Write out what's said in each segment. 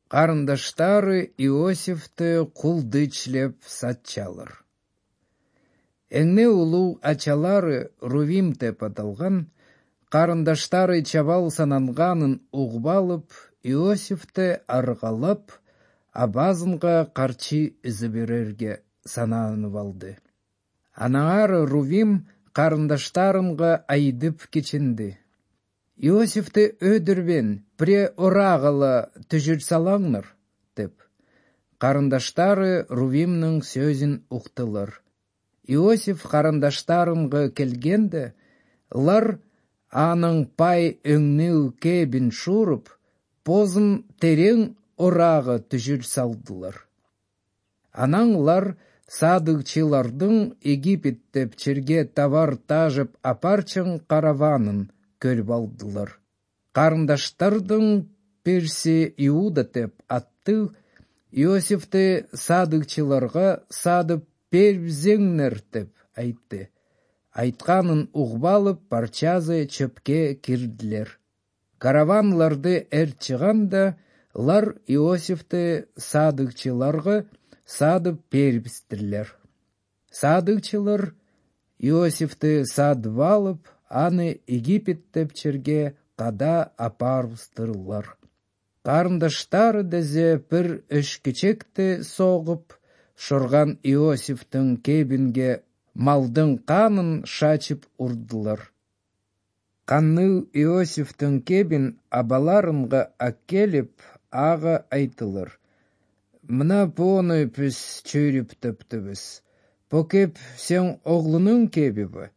Карындаштары Иосифты кулдычлеп сатчалар. Эңне улуу ачалары Рувим деп аталган, карындаштары чабал сананганын угуп алып, Иосифты аргалап, абазынга карчы изы берерге сананып алды. Анаңары Рувим карындаштарынга айтып кичинди: Иосифты өдүрбен, пре орагала түжүр салаңнар, деп. Карындаштары Рувимнин сөзүн уктулар. Иосиф карындаштарынга келгенде, лар анын пай өңнүү кебин шууруп, позун терең орага түжүр салдылар. Анан лар садыкчылардын Египеттеп черге товар тажып апарчын караванын көрүп алдылар. Карындаштардын бирси, Иуда деп атты, Иосифты садыкчыларга садып бербесеңер деп айтты. Айтканын угуп алып, парчазы чөпкө кирдилер. Караванларды ээрчиганда, лар Иосифты садыкчыларга садып бербестирлер. Садыкчылар Иосифты садып алып, аны Египеттеп черге када апарыптырлар. Карындаштары дезе бир өшкүчекти согуп, шорган Иосифтин кебинге малдын канын шачып урдулар. Канны Иосифтин кебин абаларынга аккелип, ага айтылар: Мына буну биз чөйрөптөптүбүз. Бу кеп сен оглунун кебиби,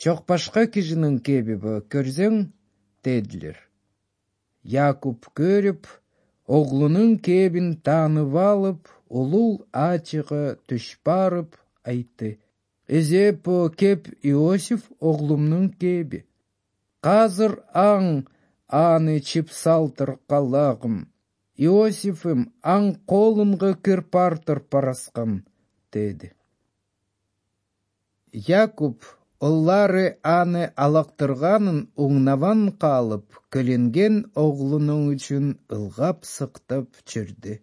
жок башка кишинин кебиби, көрсөң, дедилер. Якуб көрүп, оглунун кебин таанып алып, улуу ачыга түш барып айтты: Эзе бу кеп Иосиф оглумдун кеби. Казыр аны чипсалтыр калагым. Иосифим аң колунга кырпартыр параскам, деди. Якуб оллары аны алактырганын уңнабан калып, көлөнген оглунун үчүн ылгап сыктап жүрдү.